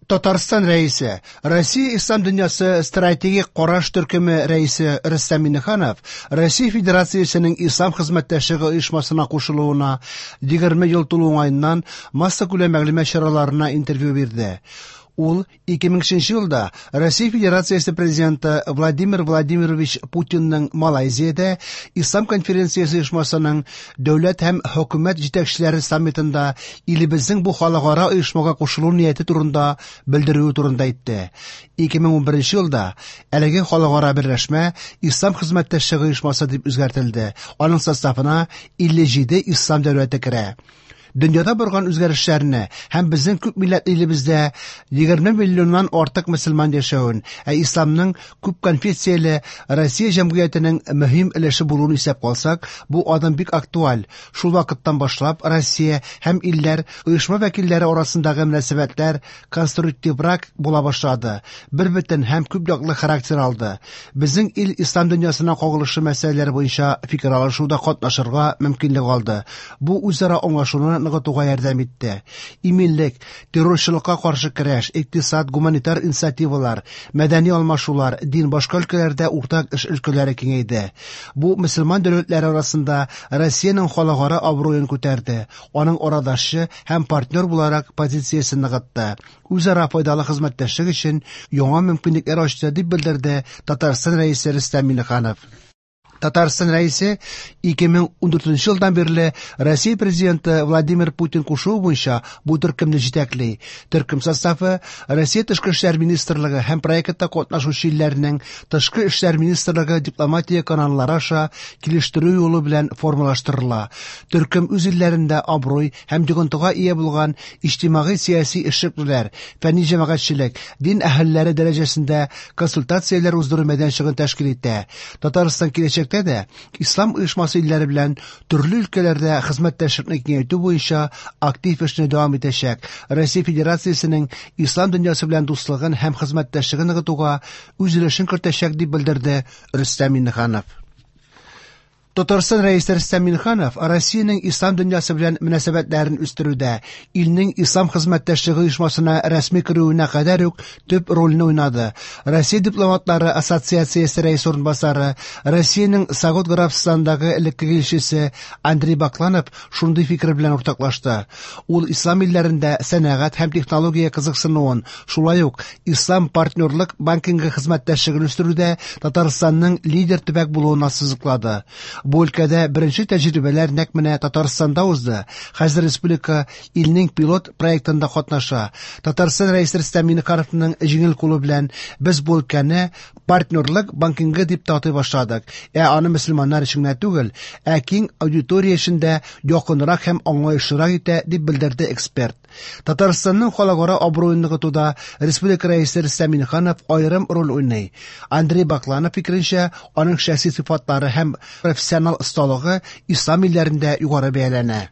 Татарстан Рәисе, Россия Ислам дөньясы стратегик караш төркеме рәисе Рөстәм Миңнеханов Россия Федерациясенең Ислам хезмәттәшлеге оешмасына кушылуына 20 ел тулу уңаеннан массакүләм мәгълүмат чараларына интервью бирде. Ул 2003 елда Россия Федерациясе Президенты Владимир Владимирович Путинның Малайзиядә Ислам конференциясе оешмасының дәүләт һәм хөкүмәт җитәкчеләре саммитында илебезнең бу халыкара оешмага кушылу нияте турында белдерүе турында әйтте. 2011 елда әлеге халыкара берләшмә Ислам хезмәттәшлеге оешмасы дип үзгәртелде. Аның составына 57 ислам дәүләте керә. Дөньяда барган үзгәрешләрне һәм безнең күп милләтле илебездә 20 миллионнан артык мөселман яшәвен, ә исламның күп конфессияле Россия җәмгыятенең мөһим өлеше булуын исәпкә алсак, бу адым бик актуаль. Шул вакыттан башлап Россия һәм илләр оешма вәкилләре арасындагы мөнәсәбәтләр конструктиврак була башлады, бербөтен һәм күп яклы характер алды. Безнең ил ислам дөньясына кагылышлы мәсьәләләр буенча фикер алышуда катнашырга мөмкинлек алды. Бу үзара аңлашуны ныгытуга ярдәм итте. Иминлек, террорчылыкка каршы көрәш, икътисад, гуманитар инициативалар, мәдәни алмашулар, дин, башка өлкәләрдә уртак эш өлкәләре киңәйде. Бу мөселман дәүләтләре арасында Россиянең халыкара абруен күтәрде, аның арадашчы һәм партнер буларак позициясен ныгытты. Үзара файдалы хезмәттәшлек өчен яңа мөмкинлекләр ачты, дип белдерде Татарстан Рәисе Рөстәм Миңнеханов. Татарстан Рәисе 2014 елдан бирле Россия Президенты Владимир Путин кушуы буенча бу төркемне җитәкли. Төркем составы Россия Тышкы эшләр министрлыгы һәм проектта катнашучы илләрнең Тышкы эшләр министрлыгы дипломатия каналлары аша килештерү юлы белән формалаштырыла. Төркем үз илләрендә абруй һәм йогынтыга ия булган иҗтимагый-сәяси эшлеклеләр, фәнни җәмәгатьчелек, дин әһелләре дәрәҗәсендә консультацияләр уздыру мәйданчыгын тәшкил итә. Татарстан киләчәктә дә Ислам оешмасы илләре белән төрле өлкәләрдә хезмәттәшлекне киңәйтү буенча актив эшне дәвам итәчәк. Россия Федерациясенең ислам дөньясы белән дуслыгын һәм хезмәттәшлеген ныгытуга үз өлешен кертәчәк, дип белдерде Рөстәм Миңнеханов. Татарстан Рәисе Рөстәм Миңнеханов Россиянең ислам дөньясы белән мөнәсәбәтләрен үстерүдә илнең Ислам хезмәттәшлеге оешмасына рәсми керүенә кадәр үк төп рольне уйнады. Россия дипломатлары ассоциациясе рәисе урынбасары, Россиянең Согуд Гарәбстанындагы элеккеге илчесе Андрей Бакланов шундый фикер белән уртаклашты. Ул ислам илләрендә сәнәгать һәм технология кызыксынуын, шулай ук Ислам партнерлык банкингы хезмәттәшлеген үстерүдә Татарстанның лидер төбәк булуын ассызыклады. Бу өлкәдә беренче тәҗрибәләр нәкъ менә Татарстанда узды. Хәзер республика илнең пилот проектында катнаша. Татарстан Рәисе Рөстәм Миңнехановның җиңел кулы белән без бу өлкәне партнерлык банкингы дип тә атый башладык. Ә аны мөселманнар өчен генә түгел, ә киң аудитория өчен дә якынрак һәм аңлаешлырак итә, дип белдерде эксперт. Татарстанның халыкара абруен ныгытуда республика Рәисе Рөстәм Миңнеханов аерым роль уйный. Андрей Бакланов фикеренчә, аның шәхси сыйфатлары һәм профессионал осталыгы ислам илләрендә югары бәяләнә.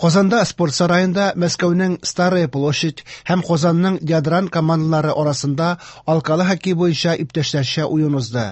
Казанда спорт сараенда Мәскәүнең Старая площадь һәм Казанның Ядран командалары арасында алкалы хоккей буенча иптәшләрчә уен узды.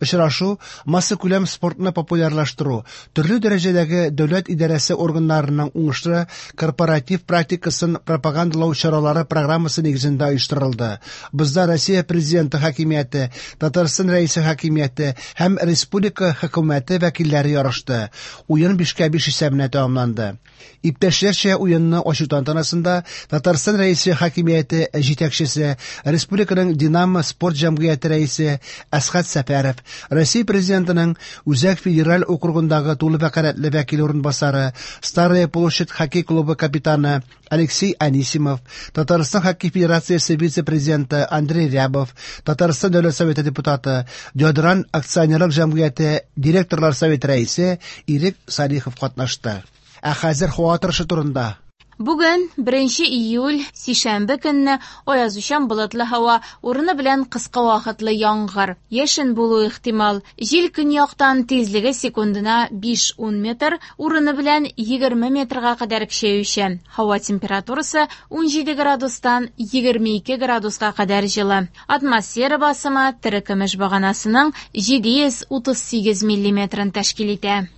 Очрашу массакүләм спортны популярлаштыру, төрле дәрәҗәдәге дәүләт идарәсе органнарының уңышлы корпоратив практикасын пропагандалау чаралары программасы нигезендә оештырылды. Бозда Россия Президенты хакимияте, Татарстан Рәисе хакимияте һәм республика хөкүмәте вәкилләре ярышты. Уен 5-5 исәбенә тәмамланды. Иптәшләрчә уенны ачу тантанасында Татарстан Рәисе хакимияте җитәкчесе, республиканың Динамо спорт җәмгыяте рәисе Әсхәт Сәфәров, Россия Президентының Үзәк федераль округындагы тулы вәкаләтле вәкил урынбасары, Старая площадь хоккей клубы капитаны Алексей Анисимов, Татарстан хоккей федерациясе вице-президенты Андрей Рябов, Татарстан Дәүләт Советы депутаты, Ядран акционерлык җәмгыяте директорлар советы рәисе Ирек Салихов катнашты. Ә хәзер һава торышы турында. Бүген, 1 июль, сишәмбе көнне аязучан болытлы һава, урыны белән кыска вакытлы яңгыр, яшен булу ихтимал. Җил көньяктан тизлеге секундына 5-10 метр, урыны белән 20 метрга кадәр көчәючән. Һава температурасы 17 градустан 22 градуска кадәр җылы. Атмосфера басымы терекөмеш баганасының 738 миллиметрын тәшкил итә.